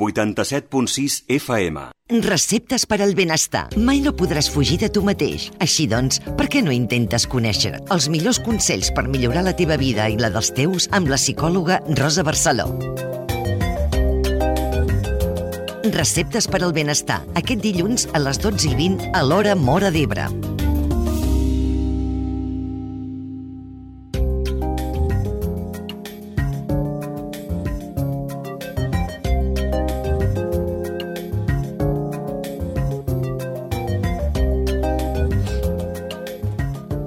87.6 FM. Receptes per al benestar. Mai no podràs fugir de tu mateix. Així doncs, per què no intentes conèixer els millors consells per millorar la teva vida i la dels teus amb la psicòloga Rosa Barceló? Receptes per al benestar. Aquest dilluns a les 12:20 a l'hora Móra d'Ebre.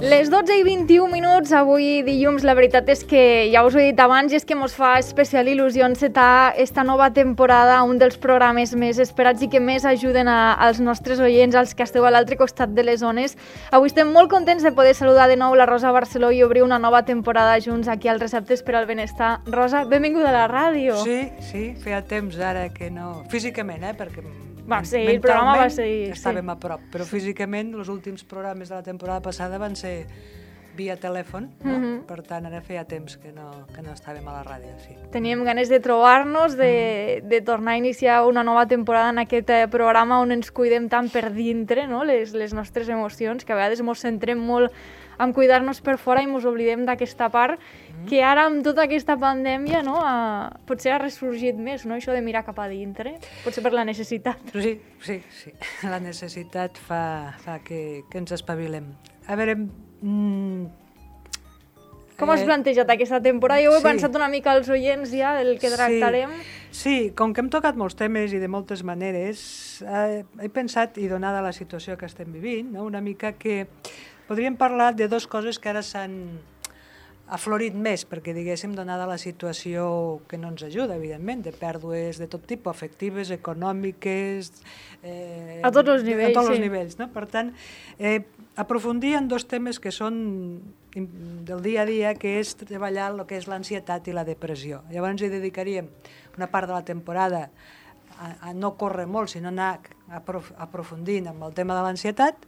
Les 12:21, avui dilluns, la veritat és que ja us ho he dit abans i és que ens fa especial il·lusió encetar esta nova temporada, un dels programes més esperats i que més ajuden als nostres oients, als que esteu a l'altre costat de les ones. Avui estem molt contents de poder saludar de nou la Rosa Barceló i obrir una nova temporada junts aquí als Receptes per al Benestar. Rosa, benvinguda a la ràdio. Sí, feia temps ara que no... Físicament, perquè... el programa va ser... Estàvem a prop, però físicament els últims programes de la temporada passada van ser via telèfon, no? Per tant, ara feia temps que no estàvem a la ràdio, sí. Teníem ganes de trobar-nos, de tornar a iniciar una nova temporada en aquest programa on ens cuidem tant per dintre, no? Les nostres emocions, que a vegades ens centrem molt en cuidar-nos per fora i ens oblidem d'aquesta part que ara amb tota aquesta pandèmia, no, potser ha ressorgit més, no? Això de mirar cap a dintre, potser per la necessitat. Sí, la necessitat fa que ens espavilem. A veure... Com has plantejat aquesta temporada? Jo ho he pensat una mica als oients ja del que tractarem. Sí, com que hem tocat molts temes i de moltes maneres, he pensat, i donada la situació que estem vivint, no, una mica que podríem parlar de dues coses que ara s'han aflorit més, perquè, diguéssim, donada la situació que no ens ajuda, evidentment, de pèrdues de tot tipus, afectives, econòmiques... A tots els nivells, a tots els nivells, no? Per tant, aprofundir en dos temes que són del dia a dia, que és treballar el que és l'ansietat i la depressió. Llavors hi dedicaríem una part de la temporada a no córrer molt, sinó anar aprofundint amb el tema de l'ansietat,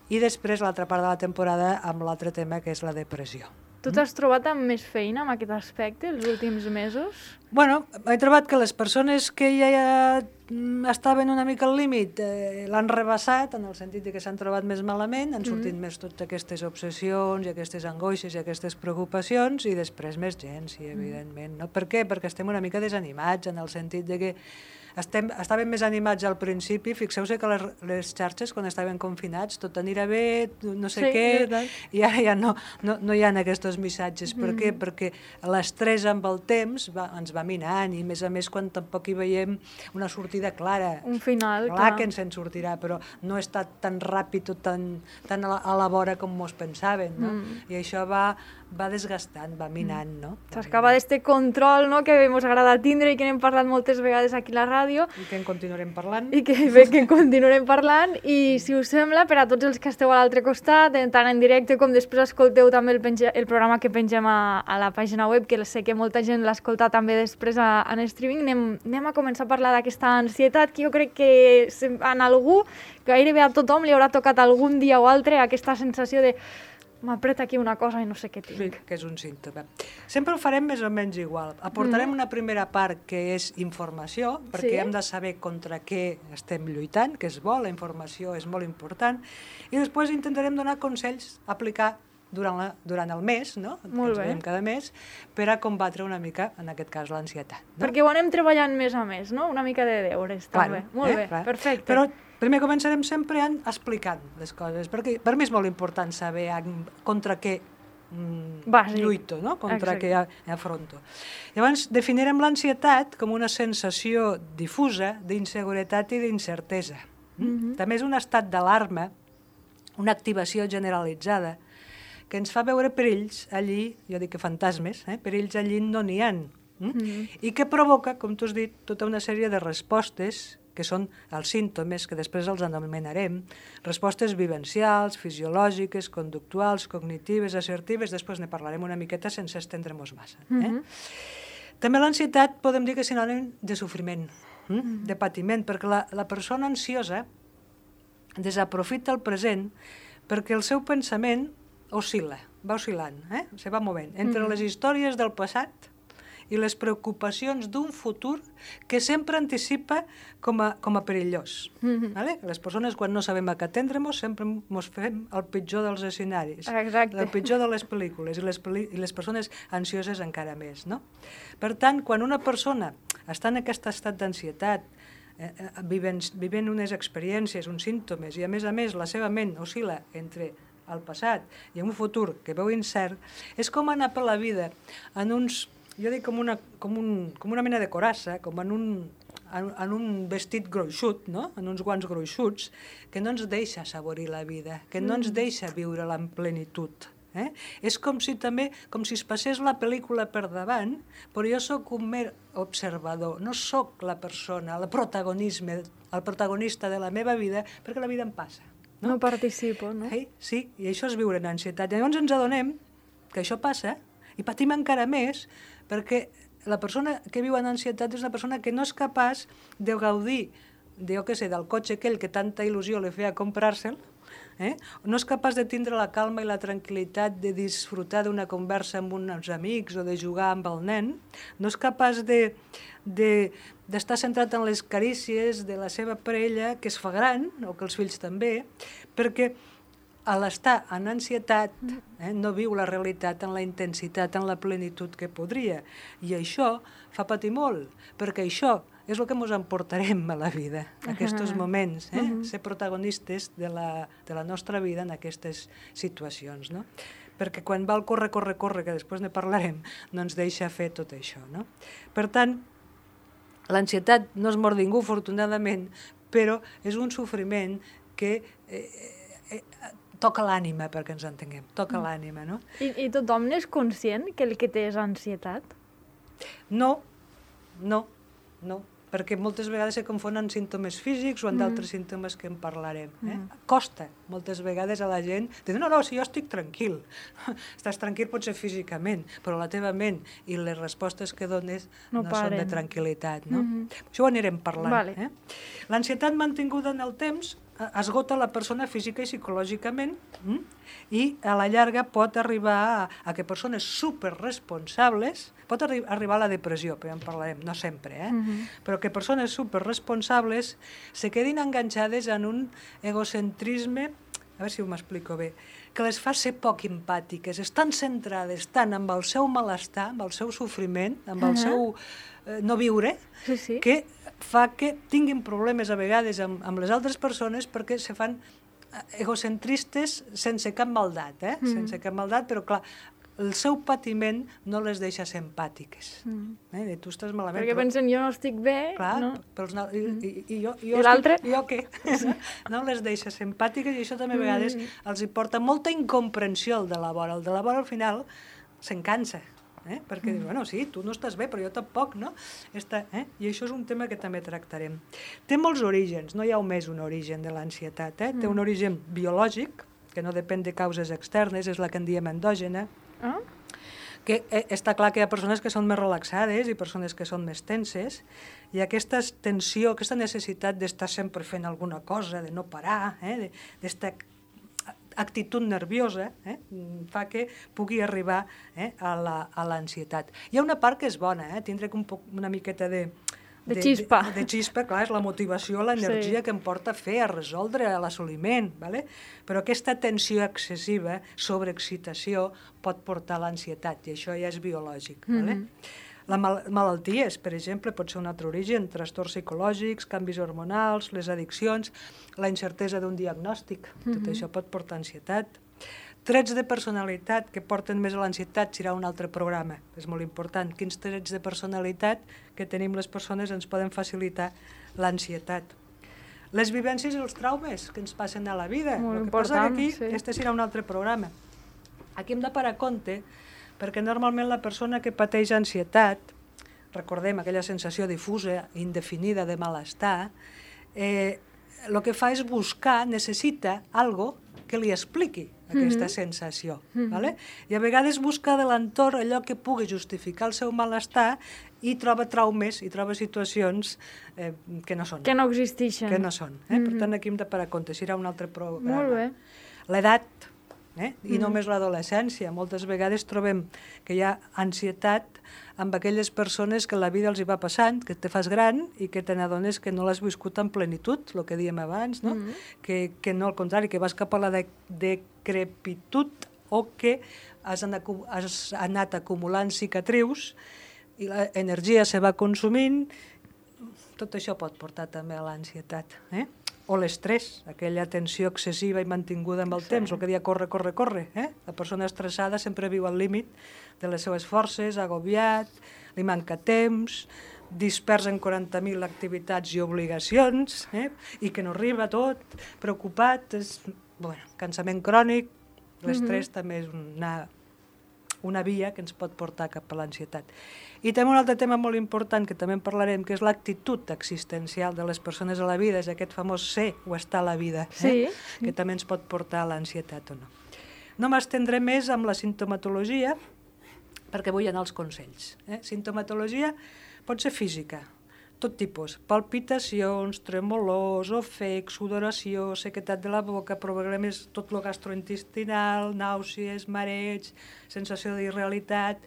i després l'altra part de la temporada amb l'altre tema, que és la depressió. Tu t'has trobat amb més feina en aquest aspecte els últims mesos? Bueno, he trobat que les persones que ja estaven una mica al límit l'han rebassat, en el sentit que s'han trobat més malament, han sortit més totes aquestes obsessions i aquestes angoixes i aquestes preocupacions, i després més gent, sí, evidentment. No? Per què? Perquè estem una mica desanimats, en el sentit de que estàvem més animats al principi. Fixeu-se que les xarxes, quan estaven confinats, tot anirà bé, no sé què, i ara ja no hi ha aquests missatges. Per què? Perquè l'estrès amb el temps ens va minant, i a més quan tampoc hi veiem una sortida clara. Un final, clar que ens en sortirà, però no ha estat tan ràpid o tan a la vora com mos pensaven, no? I això va desgastant, va minant, no? S'acaba d'este control, no?, que ens agrada tindre i que n'hem parlat moltes vegades aquí a la ràdio. I que en continuarem parlant. I que en continuarem parlant. I, si us sembla, per a tots els que esteu a l'altre costat, tant en directe com després escolteu també el programa que pengem a la pàgina web, que sé que molta gent l'escolta també després en streaming, anem a començar a parlar d'aquesta ansietat, que jo crec que en algú, gairebé a tothom, li haurà tocat algun dia o altre aquesta sensació de m'apreta aquí una cosa i no sé què tinc. Sí, que és un símptoma. Sempre ho farem més o menys igual. Aportarem una primera part que és informació, perquè hem de saber contra què estem lluitant, que és bo, la informació és molt important, i després intentarem donar consells a aplicar durant el mes, no? Molt bé. Cada mes, per a combatre una mica, en aquest cas, l'ansietat. Perquè ho anem treballant més a més, no? Una mica de deures, també. Molt bé, perfecte. Però primer començarem sempre explicant les coses, perquè per mi és molt important saber contra què lluito, no? Contra què afronto. Llavors, definirem l'ansietat com una sensació difusa d'inseguretat i d'incertesa. També és un estat d'alarma, una activació generalitzada, que ens fa veure perills allí, jo dic que fantasmes, perills allí no n'hi ha, i que provoca, com tu has dit, tota una sèrie de respostes, que són els símptomes, que després els anomenarem, respostes vivencials, fisiològiques, conductuals, cognitives, assertives, després ne parlarem una miqueta sense estendre-nos massa. També l'ansietat podem dir que és sinònim de sofriment, de patiment, perquè la persona ansiosa desaprofita el present perquè el seu pensament oscil·la, va oscil·lant, se va movent entre les històries del passat i les preocupacions d'un futur que sempre anticipa com a perillós. Vale? Les persones, quan no sabem a què atendre-nos, sempre ens fem el pitjor dels escenaris, el pitjor de les pel·lícules, i les persones ansioses encara més. No? Per tant, quan una persona està en aquest estat d'ansietat, vivint unes experiències, uns símptomes, i a més la seva ment oscil·la entre el passat i un futur que veu incert, és com anar per la vida en uns, jo dic com una mena de coraça, com en un vestit gruixut, no? En uns guants gruixuts, que no ens deixa assaborir la vida, que no ens deixa viure-la en plenitud. És com si es passés la pel·lícula per davant, però jo sóc un mer observador, no sóc la persona, el protagonista de la meva vida, perquè la vida em passa. No participo, no? Sí, i això és viure en ansietat. Llavors ens adonem que això passa i patim encara més perquè la persona que viu en ansietat és una persona que no és capaç de gaudir del cotxe aquell que tanta il·lusió li feia comprar-se'l, no és capaç de tindre la calma i la tranquil·litat de disfrutar d'una conversa amb uns amics o de jugar amb el nen, no és capaç d'estar centrat en les carícies de la seva parella, que es fa gran, o que els fills també, perquè a l'estar en ansietat no viu la realitat en la intensitat, en la plenitud que podria. I això fa patir molt, perquè això és el que ens emportarem a la vida, aquests moments, ser protagonistes de la nostra vida en aquestes situacions. No? Perquè quan va el corre, que després ne parlarem, no ens deixa fer tot això. No? Per tant, l'ansietat no és mort ningú, afortunadament, però és un sofriment que toca l'ànima, perquè ens entenguem, toca l'ànima. No? I tothom n'és conscient que el que té és ansietat? No, perquè moltes vegades se confonen símptomes físics o amb d'altres símptomes que en parlarem. Costa moltes vegades a la gent de dir, no, si jo estic tranquil. Estàs tranquil potser físicament, però la teva ment i les respostes que dones no són de tranquil·litat. Això ho anirem parlant. L'ansietat mantinguda en el temps esgota la persona física i psicològicament i a la llarga pot arribar a que persones superresponsables, pot arribar a la depressió, però ja en parlarem, no sempre, però que persones superresponsables se quedin enganxades en un egocentrisme, a veure si ho m'explico bé, que les fa ser poc empàtiques, estan centrades tant amb el seu malestar, amb el seu sofriment, amb el seu no viure, que fa que tinguin problemes a vegades amb les altres persones perquè se fan egocentristes sense cap maldat, sense cap maldat, però clar, el seu patiment no les deixa ser empàtiques. Tu estàs malament. Perquè pensen, jo no estic bé. Clar, i l'altre? Jo què? No les deixa ser empàtiques i això també a vegades els hi porta molta incomprensió al de la vora. El de la vora al final se'n cansa. Perquè dius, bueno, sí, tu no estàs bé, però jo tampoc, no? I això és un tema que també tractarem. Té molts orígens, no hi ha només un origen de l'ansietat. Té un origen biològic, que no depèn de causes externes, és la que en diem endògena, que està clar que hi ha persones que són més relaxades i persones que són més tenses, i aquesta tensió, aquesta necessitat d'estar sempre fent alguna cosa, de no parar, d'estar actitud nerviosa, fa que pugui arribar a l'ansietat. Hi ha una part que és bona, tindre una miqueta de xispa. De xispa, clar, és la motivació, l'energia que em porta a fer, a resoldre, a l'assoliment, però aquesta tensió excessiva, sobreexcitació, pot portar a l'ansietat, i això ja és biològic. Les malalties, per exemple, pot ser un altre origen, trastorns psicològics, canvis hormonals, les addiccions, la incertesa d'un diagnòstic, tot això pot portar ansietat. Trets de personalitat que porten més a l'ansietat serà un altre programa, és molt important. Quins trets de personalitat que tenim les persones ens poden facilitar l'ansietat. Les vivències i els traumes que ens passen a la vida. Molt important, passa que aquí, sí. Este serà un altre programa. Aquí hem de parar compte perquè normalment la persona que pateix ansietat, recordem aquella sensació difusa, indefinida de malestar, el que fa és buscar, necessita algo que li expliqui aquesta sensació. I a vegades busca de l'entorn allò que pugui justificar el seu malestar i troba traumes i troba situacions que no són. Que no existeixen. Que no són. Per tant, aquí hem de parar compte, serà un altre programa. Molt bé. L'edat, I només l'adolescència. Moltes vegades trobem que hi ha ansietat amb aquelles persones que la vida els hi va passant, que te fas gran i que te n'adones que no l'has viscut en plenitud, el que dèiem abans, no? Que no, al contrari, que vas cap a la decrepitud o que has anat acumulant cicatrius i l'energia se va consumint. Tot això pot portar també a l'ansietat, o l'estrès, aquella tensió excessiva i mantinguda amb el temps, el que dia corre. La persona estressada sempre viu al límit de les seves forces, agobiat, li manca temps, dispers en 40.000 activitats i obligacions, i que no arriba tot, preocupat, cansament crònic. L'estrès també és una via que ens pot portar cap a l'ansietat. I també un altre tema molt important que també en parlarem, que és l'actitud existencial de les persones a la vida, és aquest famós ser o estar a la vida, que també ens pot portar a l'ansietat o no. No m'estendré més amb la sintomatologia, perquè vull anar als consells. Sintomatologia pot ser física, tot tipus, palpitacions, tremolors, ofec, sudoració, sequedat de la boca, problemes tot lo gastrointestinal, nàusees, mareig, sensació d'irrealitat.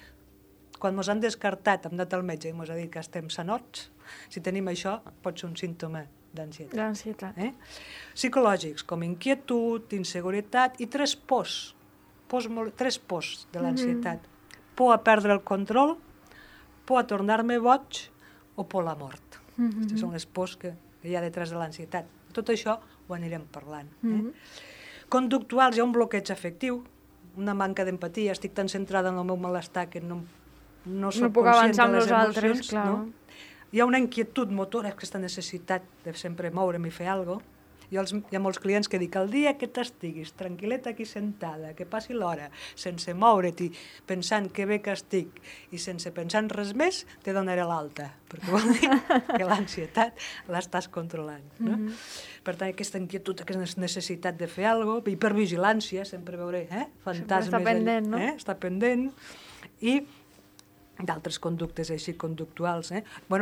Quan ens han descartat, hem anat al metge i ens ha dit que estem sanots, si tenim això pot ser un símptoma d'ansietat. Psicològics, com inquietud, inseguretat i tres pors de l'ansietat. Por a perdre el control, por a tornar-me boig o por la mort. Aquestes són les pors que hi ha detrás de l'ansietat. Tot això ho anirem parlant. Conductuals, hi ha un bloqueig afectiu, una manca d'empatia, estic tan centrada en el meu malestar que no soc conscient de les emocions. Hi ha una inquietud motora, aquesta necessitat de sempre moure'm i fer alguna cosa. Hi ha molts clients que dic, el dia que t'estiguis tranquil·leta aquí sentada, que passi l'hora, sense moure't i pensant que bé que estic i sense pensar en res més, te donaré l'alta, perquè vol dir que l'ansietat l'estàs controlant. Per tant, aquesta inquietud, aquesta necessitat de fer alguna cosa, hipervigilància, sempre veuré fantasmes. Està pendent, no? Està pendent. I d'altres conductes així conductuals.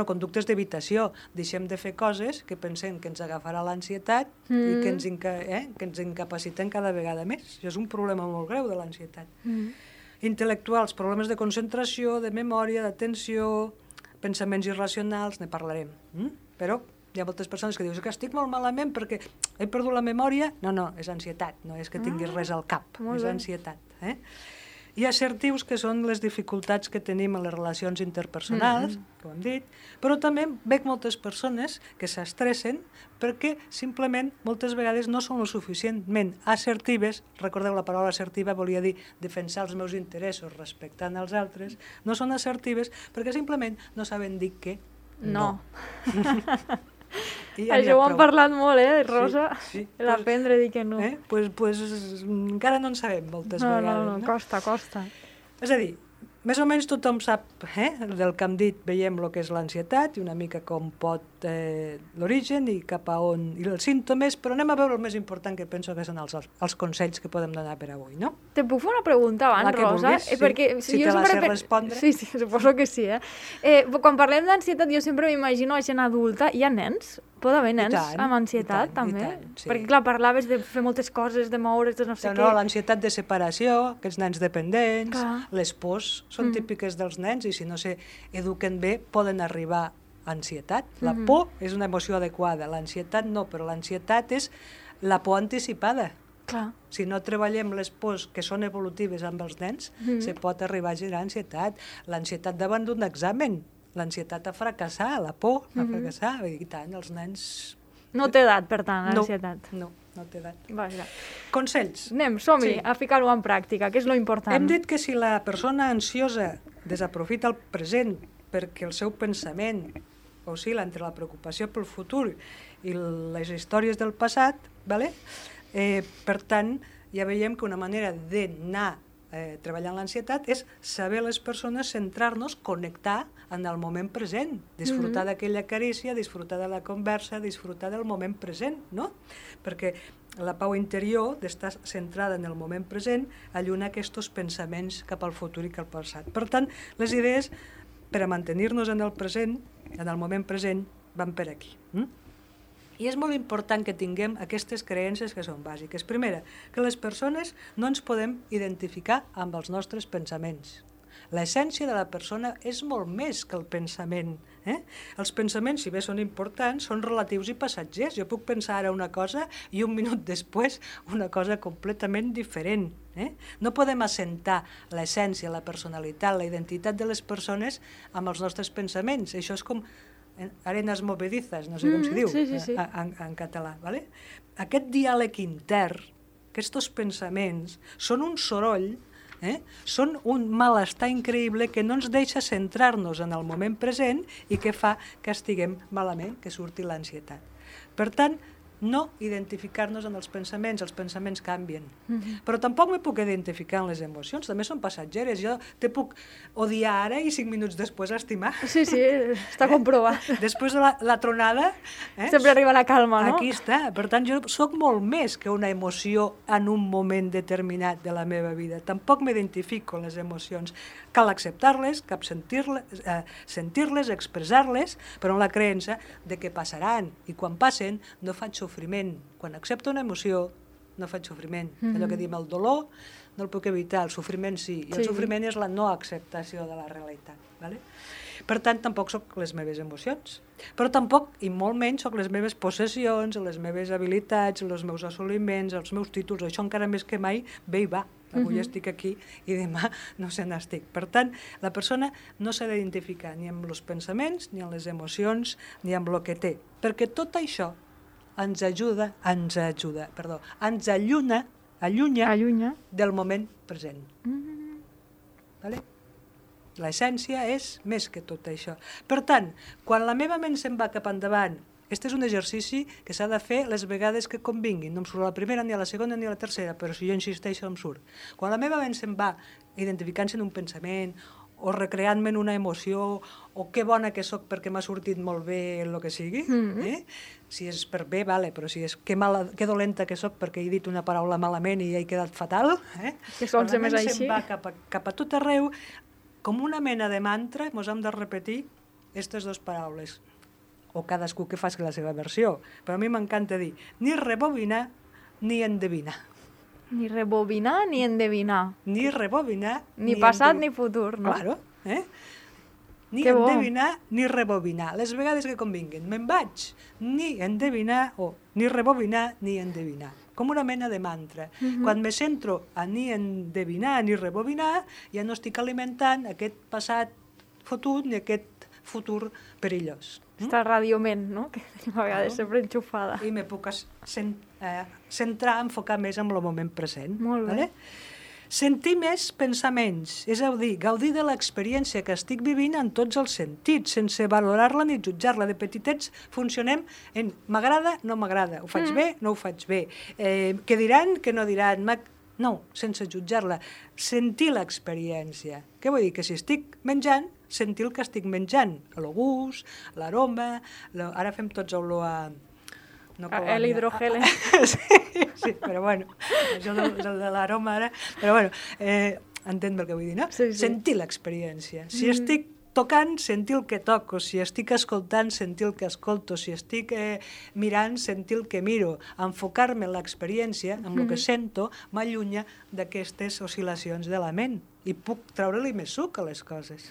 Conductes d'evitació. Deixem de fer coses que pensem que ens agafarà l'ansietat i que ens incapaciten cada vegada més. Això és un problema molt greu de l'ansietat. Intel·lectuals, problemes de concentració, de memòria, d'atenció, pensaments irracionals, ne parlarem. Però hi ha moltes persones que diuen que estic molt malament perquè he perdut la memòria. No, és ansietat, no és que tinguis res al cap, és ansietat. I assertius, que són les dificultats que tenim en les relacions interpersonals, com hem dit, però també veig moltes persones que s'estressen perquè simplement moltes vegades no són lo suficientment assertives. Recordeu, la paraula assertiva volia dir defensar els meus interessos respectant els altres. No són assertives perquè simplement no saben dir que no. Això ho han parlat molt, Rosa? L'aprendre a dir que no. Pues encara no en sabem moltes vegades. No, costa. És a dir, més o menys tothom sap del que hem dit, veiem el que és l'ansietat i una mica com pot l'origen i cap a on i els símptomes, però anem a veure el més important que penso que són els consells que podem donar per avui, no? Te puc fer una pregunta abans, Rosa? Si te la sé respondre. Sí, suposo que sí. Quan parlem d'ansietat jo sempre m'imagino a gent adulta. Hi ha nens? Pot haver nens amb ansietat, també? Perquè, clar, parlaves de fer moltes coses, de moure's, de no sé què. No, l'ansietat de separació, aquests nens dependents, les pors són típiques dels nens i si no s'eduquen bé poden arribar a ansietat. La por és una emoció adequada, l'ansietat no, però l'ansietat és la por anticipada. Si no treballem les pors que són evolutives amb els nens, se pot arribar a generar ansietat. L'ansietat davant d'un examen, l'ansietat a fracassar, la por a fracassar, i tant, els nens... No té edat, per tant, l'ansietat. No té edat. Vaja. Consells. Anem, som-hi, a ficar-ho en pràctica, que és lo important. Hem dit que si la persona ansiosa desaprofita el present perquè el seu pensament oscil·la entre la preocupació pel futur i les històries del passat, per tant, ja veiem que una manera d'anar treballant l'ansietat és saber les persones, centrar-nos, connectar en el moment present, disfrutar d'aquella carícia, disfrutar de la conversa, disfrutar del moment present, no? Perquè la pau interior d'estar centrada en el moment present alluna aquests pensaments cap al futur i cap al passat. Per tant, les idees per a mantenir-nos en el present, en el moment present, van per aquí. I és molt important que tinguem aquestes creences que són bàsiques. Primera, que les persones no ens podem identificar amb els nostres pensaments. L'essència de la persona és molt més que el pensament. Els pensaments, si bé són importants, són relatius i passatgers. Jo puc pensar ara una cosa i un minut després una cosa completament diferent. No podem assentar l'essència, la personalitat, la identitat de les persones amb els nostres pensaments. Això és com arenas movedizas, no sé com s'hi diu en català. Aquest diàleg intern, aquests pensaments, són un soroll, són un malestar increïble que no ens deixa centrar-nos en el moment present i que fa que estiguem malament, que surti l'ansietat. Per tant, no identificar-nos en els pensaments canvien. Però tampoc me puc identificar en les emocions, també són passatgeres. Jo te puc odiar ara i 5 minuts després estimar. Sí, està comprovat. Després de la tronada... Sempre arriba la calma, no? Aquí està. Per tant, jo sóc molt més que una emoció en un moment determinat de la meva vida. Tampoc m'identifico en les emocions. Cal acceptar-les, cal sentir-les, expressar-les, però amb la creença de que passaran. I quan passen, no faig sofriment. Quan accepto una emoció, no faig sofriment. Allò que diem, el dolor no el puc evitar, el sofriment sí. I el sofriment és la no acceptació de la realitat. Per tant, tampoc soc les meves emocions. Però tampoc, i molt menys, soc les meves possessions, les meves habilitats, els meus assoliments, els meus títols. Això encara més que mai ve i va. Avui estic aquí i demà no se n'estic. Per tant, la persona no s'ha d'identificar ni amb els pensaments, ni amb les emocions, ni amb el que té. Perquè tot això ens allunya del moment present. L'essència és més que tot això. Per tant, quan la meva ment se'n va cap endavant, aquest és un exercici que s'ha de fer les vegades que convinguin. No em surt a la primera, ni a la segona, ni a la tercera, però si jo insisteixo em surt. Quan la meva ment se'n va identificant-se en un pensament, o recreant-me en una emoció, o que bona que sóc perquè m'ha sortit molt bé el que sigui, si és per bé, vale, però si és que dolenta que sóc perquè he dit una paraula malament i he quedat fatal, quan la ment se'n va cap a tot arreu, com una mena de mantra, ens hem de repetir aquestes dues paraules, o cadascú que faci la seva versió, però a mi m'encanta dir ni rebobinar ni endevinar. Ni rebobinar ni endevinar. Ni rebobinar ni passat ni futur, no? Claro, ni endevinar ni rebobinar. Les vegades que convinguin. Me'n vaig ni endevinar o ni rebobinar ni endevinar. Com una mena de mantra. Quan me centro a ni endevinar ni rebobinar, ja no estic alimentant aquest passat fotut ni aquest futur perillós. Està radioment, no? Que tenim a vegades sempre enxufada. I me puc centrar, enfocar més en el moment present. Molt bé. Sentir més pensaments, és a dir, gaudir de l'experiència que estic vivint en tots els sentits, sense valorar-la ni jutjar-la. De petitets funcionem en m'agrada, no m'agrada, ho faig bé, no ho faig bé, què diran, què no diran, no, sense jutjar-la, sentir l'experiència. Què vull dir? Que si estic menjant, sentir el que estic menjant, el gust, l'aroma, ara fem tots olor a... l'hidrogel. Sí, però bueno, això de l'aroma ara... Però bueno, entén el que vull dir, no? Sí. Sentir l'experiència. Si estic tocant, sentir el que toco. Si estic escoltant, sentir el que escolto. Si estic mirant, sentir el que miro. Enfocar-me en l'experiència, en el que sento, m'allunya d'aquestes oscil·lacions de la ment. I puc treure-li més suc a les coses.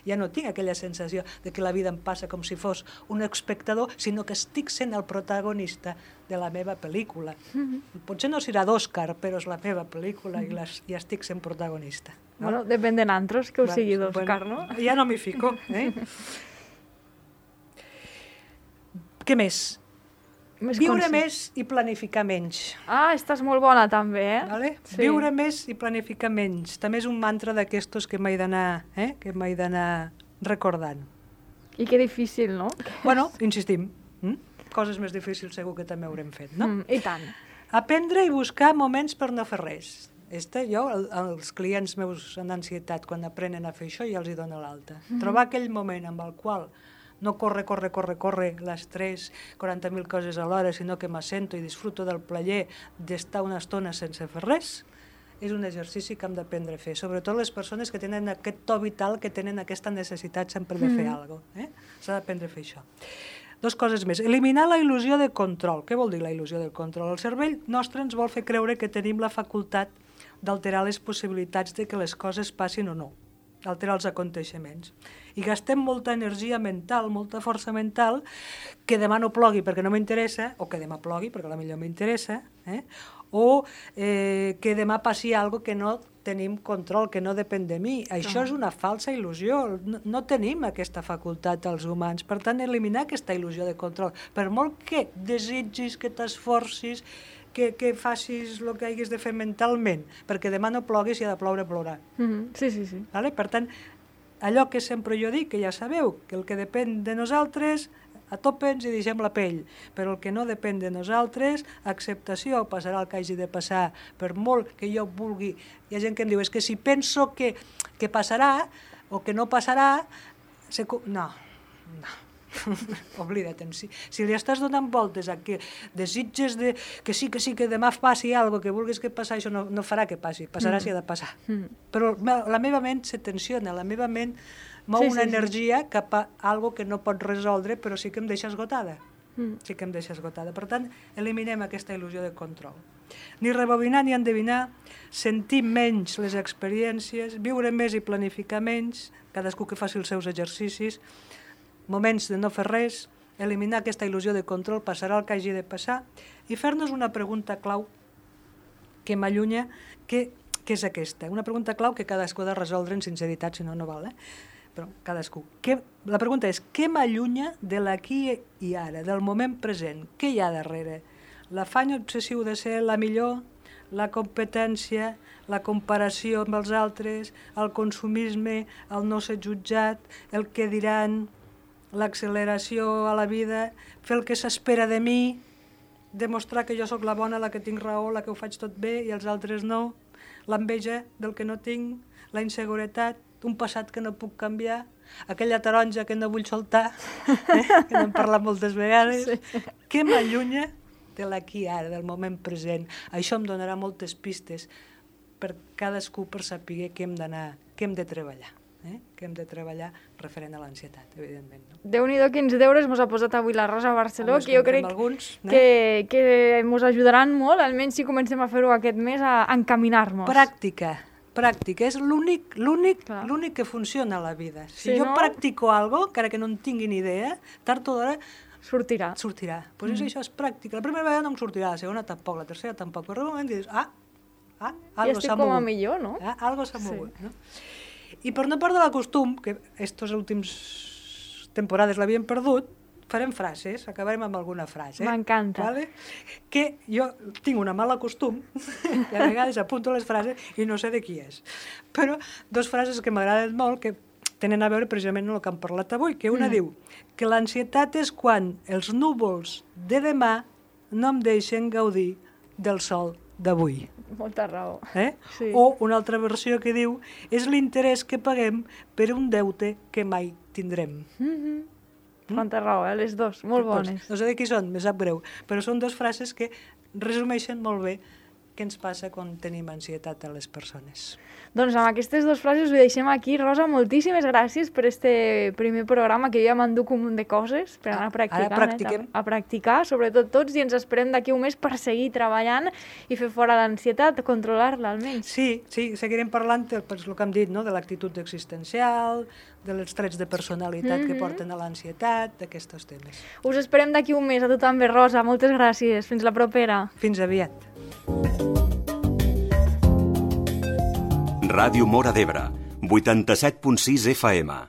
Ja no tinc aquella sensació de que la vida em passa com si fos un espectador, sinó que estic sent el protagonista de la meva pel·lícula. Potser no serà d'Òscar, però és la meva pel·lícula i estic sent protagonista. No? Bueno, depèn de nantros que ho sigui d'Òscar, no? Ja no m'hi fico. Què més? Viure més i planificar menys. Estàs molt bona també, Vale? Sí. Viure més i planificar menys. També és un mantra d'aquestos que m'he d'anar recordant. I que difícil, no? Bueno, insistim. Coses més difícils segur que també haurem fet, no? I tant. Aprendre i buscar moments per no fer res. Jo, els clients meus en ansietat, quan aprenen a fer això, ja els hi dono l'alta. Trobar aquell moment amb el qual no corre l'estrès, 40.000 coses a l'hora, sinó que m'assento i disfruto del plaer d'estar una estona sense fer res, és un exercici que hem d'aprendre a fer. Sobretot les persones que tenen aquest to vital, que tenen aquesta necessitat sempre de fer alguna cosa. S'ha d'aprendre a fer això. Dos coses més. Eliminar la il·lusió de control. Què vol dir la il·lusió del control? El cervell nostre ens vol fer creure que tenim la facultat d'alterar les possibilitats de que les coses passin o no, d'alterar els aconteixements. I gastem molta energia mental, molta força mental, que demà no plogui perquè no m'interessa, o que demà plogui perquè potser m'interessa, o que demà passi alguna cosa que no tenim control, que no depèn de mi. Això és una falsa il·lusió. No tenim aquesta facultat els humans. Per tant, eliminar aquesta il·lusió de control. Per molt que desitgis, que t'esforcis, que facis el que hagis de fer mentalment, perquè demà no ploguis i ha de ploure, plourà. Sí. Per tant, allò que sempre jo dic, que ja sabeu, que el que depèn de nosaltres, atopens i deixem la pell, però el que no depèn de nosaltres, acceptació, passarà el que hagi de passar, per molt que jo vulgui. Hi ha gent que em diu, és que si penso que passarà o que no passarà, no. Oblida't. Si li estàs donant voltes a que desitges que sí, que demà passi alguna cosa, que vulguis que passi, això no farà que passi, passarà si ha de passar. Però la meva ment se tensiona, la meva ment mou una energia cap a alguna que no pot resoldre, però sí que em deixa esgotada. Per tant, eliminem aquesta il·lusió de control. Ni rebobinar ni endevinar, sentir menys les experiències, viure més i planificar menys, cadascú que faci els seus exercicis, moments de no fer res, eliminar aquesta il·lusió de control, passarà el que hagi de passar, i fer-nos una pregunta clau que m'allunya, que és aquesta. Una pregunta clau que cadascú ha de resoldre en sinceritat, si no, no val, però cadascú. La pregunta és, què m'allunya de l'aquí i ara, del moment present? Què hi ha darrere? L'afany obsessiu de ser la millor, la competència, la comparació amb els altres, el consumisme, el no ser jutjat, el que diran, l'acceleració a la vida, fer el que s'espera de mi, demostrar que jo sóc la bona, la que tinc raó, la que ho faig tot bé i els altres no, l'enveja del que no tinc, la inseguretat, un passat que no puc canviar, aquella taronja que no vull soltar, que n'hem parlat moltes vegades. Què m'allunya de l'aquí ara, del moment present? Això em donarà moltes pistes per cadascú per saber què hem d'anar, què hem de treballar. Que hem de treballar referent a l'ansietat, evidentment. Déu-n'hi-do quins deures mos ha posat avui la Rosa Barceló, que jo crec que mos ajudaran molt, almenys si comencem a fer-ho aquest mes, a encaminar-nos. Pràctica, és l'únic que funciona a la vida. Si jo practico alguna cosa, encara que no en tingui ni idea, tard o d'hora sortirà. Doncs això és pràctica. La primera vegada no em sortirà, la segona tampoc, la tercera tampoc, però un moment dius, algo s'ha mogut. Ja estic com a millor, no? Algo s'ha mogut, no? I per no perdre el costum, que aquestes últimes temporades l'havien perdut, farem frases, acabarem amb alguna frase. M'encanta. Vale? Que jo tinc una mala costum, que a vegades apunto les frases i no sé de qui és. Però dos frases que m'agraden molt, que tenen a veure precisament amb el que hem parlat avui, que una diu que l'ansietat és quan els núvols de demà no em deixen gaudir del sol d'avui. Molta raó. Sí. O una altra versió que diu és l'interès que paguem per un deute que mai tindrem. Molta raó, les dos, molt bones. No sé de qui són, me sap greu, però són dues frases que resumeixen molt bé què ens passa quan tenim ansietat a les persones. Doncs amb aquestes dues frases ho deixem aquí. Rosa, moltíssimes gràcies per este primer programa, que jo ja m'enduc un munt de coses per anar practicant. A practicar, sobretot tots, i ens esperem d'aquí un mes per seguir treballant i fer fora l'ansietat, controlar-la almenys. Sí, seguirem parlant del que hem dit, de l'actitud existencial, dels trets de personalitat que porten a l'ansietat, d'aquests temes. Us esperem d'aquí un mes, a tu també, Rosa. Moltes gràcies. Fins la propera. Fins aviat. Ràdio Móra d'Ebre, 87.6 FM.